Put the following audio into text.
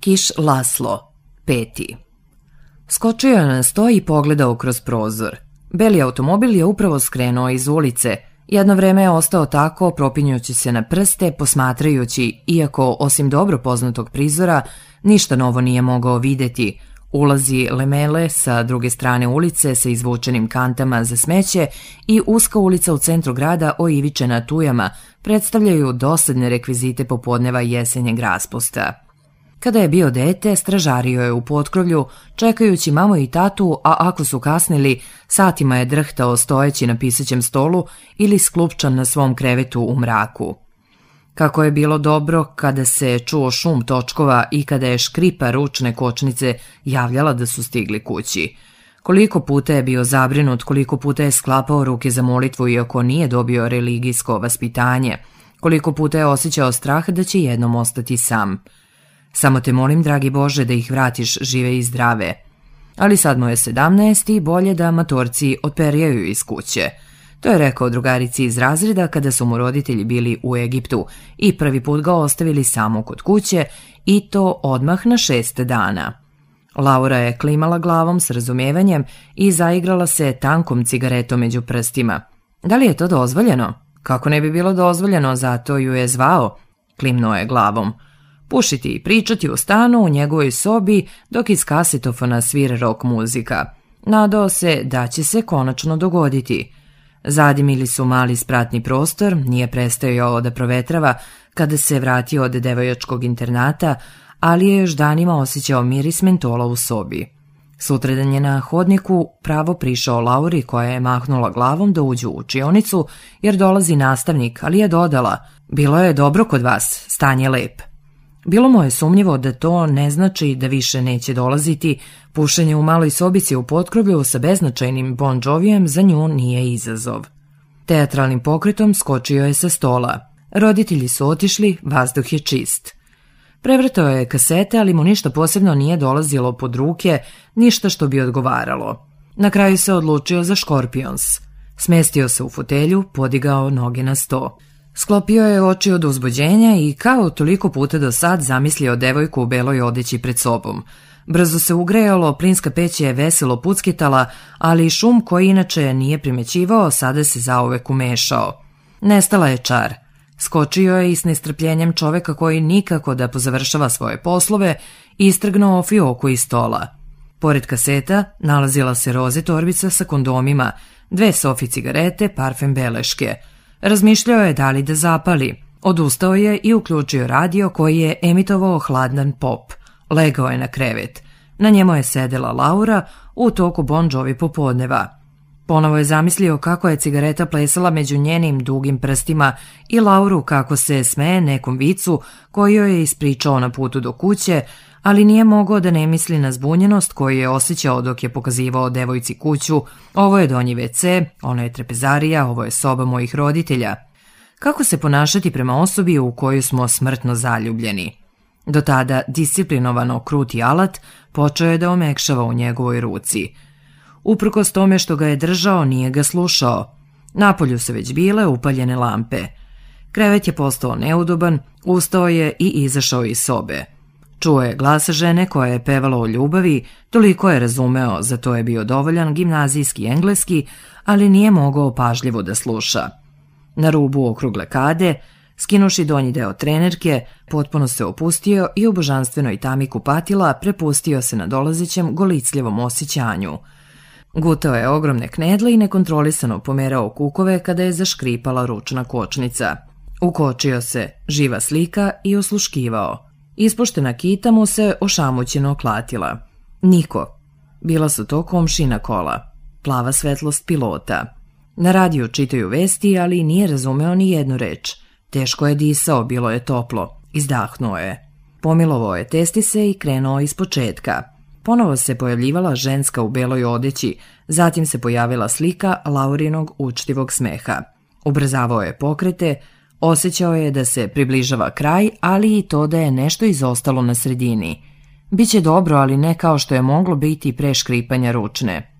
Kiš Laslo, 5. Skočio je na sto i pogledao kroz prozor. Beli automobil je upravo skrenuo iz ulice. Jedno vreme je ostao tako, propinjući se na prste, posmatrajući, iako osim dobro poznatog prizora, ništa novo nije mogao vidjeti. Ulazi Lemele sa druge strane ulice sa izvučenim kantama za smeće i uska ulica u centru grada oivičena tujama predstavljaju dosadne rekvizite popodneva jesenjeg raspusta. Kada je bio dete, stražario je u potkrovlju, čekajući mamu i tatu, a ako su kasnili, satima je drhtao stojeći na pisaćem stolu ili sklupčan na svom krevetu u mraku. Kako je bilo dobro kada se čuo šum točkova i kada je škripa ručne kočnice javljala da su stigli kući. Koliko puta je bio zabrinut, koliko puta je sklapao ruke za molitvu iako nije dobio religijsko vaspitanje, koliko puta je osjećao strah da će jednom ostati sam. Samo te molim, dragi Bože, da ih vratiš žive i zdrave. Ali sad mu je 17 i bolje da matorci otperjaju iz kuće. To je rekao drugarici iz razreda kada su mu roditelji bili u Egiptu i prvi put ga ostavili samo kod kuće i to odmah na 6 dana. Laura je klimala glavom s razumijevanjem i zaigrala se tankom cigaretom među prstima. Da li je to dozvoljeno? Kako ne bi bilo dozvoljeno, zato ju je zvao, klimnuo je glavom. Pušiti i pričati u stanu u njegovoj sobi dok iz kasetofona svira rock muzika. Nadao se da će se konačno dogoditi. Zadimili su mali spratni prostor, nije prestajao da provetrava kada se vratio od devojačkog internata, ali je još danima osjećao miris mentola u sobi. Sutradan je na hodniku pravo prišao Lauri koja je mahnula glavom da uđu u učionicu jer dolazi nastavnik, ali je dodala: bilo je dobro kod vas, stan je lep. Bilo mu je sumnjivo da to ne znači da više neće dolaziti, pušenje u maloj sobici u potkrovlju sa beznačajnim Bon Jovijem za nju nije izazov. Teatralnim pokretom skočio je sa stola. Roditelji su otišli, vazduh je čist. Prevrtao je kasete, ali mu ništa posebno nije dolazilo pod ruke, ništa što bi odgovaralo. Na kraju se odlučio za Scorpions. Smestio se u fotelju, podigao noge na sto. Sklopio je oči od uzbuđenja i kao toliko puta do sad zamislio devojku u beloj odeći pred sobom. Brzo se ugrejalo, plinska peć je veselo puckitala, ali šum koji inače nije primećivao sada se zauvek umešao. Nestala je čar. Skočio je i s nestrpljenjem čoveka koji nikako da pozavršava svoje poslove istrgnuo fioku iz stola. Pored kaseta nalazila se roze torbica sa kondomima, 2 sofi cigarete, parfem beleške. Razmišljao je da li da zapali. Odustao je i uključio radio koji je emitovao hladan pop. Legao je na krevet. Na njemu je sedela Laura u toku Bon Jovi popodneva. Ponovo je zamislio kako je cigareta plesala među njenim dugim prstima i Lauru kako se smeje nekom vicu koji joj je ispričao na putu do kuće, ali nije mogao da ne misli na zbunjenost koju je osjećao dok je pokazivao devojci kuću. Ovo je donji WC, ono je trpezarija, ovo je soba mojih roditelja. Kako se ponašati prema osobi u koju smo smrtno zaljubljeni? Do tada disciplinovano kruti alat počeo je da omekšava u njegovoj ruci. Uprkos tome što ga je držao, nije ga slušao. Napolju su već bile upaljene lampe. Krevet je postao neudoban, ustao je i izašao iz sobe. Čuo je glas žene koja je pevala o ljubavi, toliko je razumeo, za to je bio dovoljan gimnazijski engleski, ali nije mogao pažljivo da sluša. Na rubu okrugle kade, skinuši donji deo trenerke, potpuno se opustio i u božanstvenoj tami kupatila prepustio se na dolazećem golicljivom osjećanju. Gutao je ogromne knedle i nekontrolisano pomerao kukove kada je zaškripala ručna kočnica. Ukočio se, živa slika i osluškivao. Ispuštena kita mu se ošamućeno klatila. Niko. Bila su to komšina kola. Plava svetlost pilota. Na radiju čitaju vesti, ali nije razumeo ni jednu reč. Teško je disao, bilo je toplo. Izdahnuo je. Pomilovao je testise i krenuo iz početka. Ponovo se pojavljivala ženska u beloj odeći, zatim se pojavila slika Laurinog učtivog smeha. Ubrzavao je pokrete, osjećao je da se približava kraj, ali i to da je nešto izostalo na sredini. Biće dobro, ali ne kao što je moglo biti pre škripanja ručne.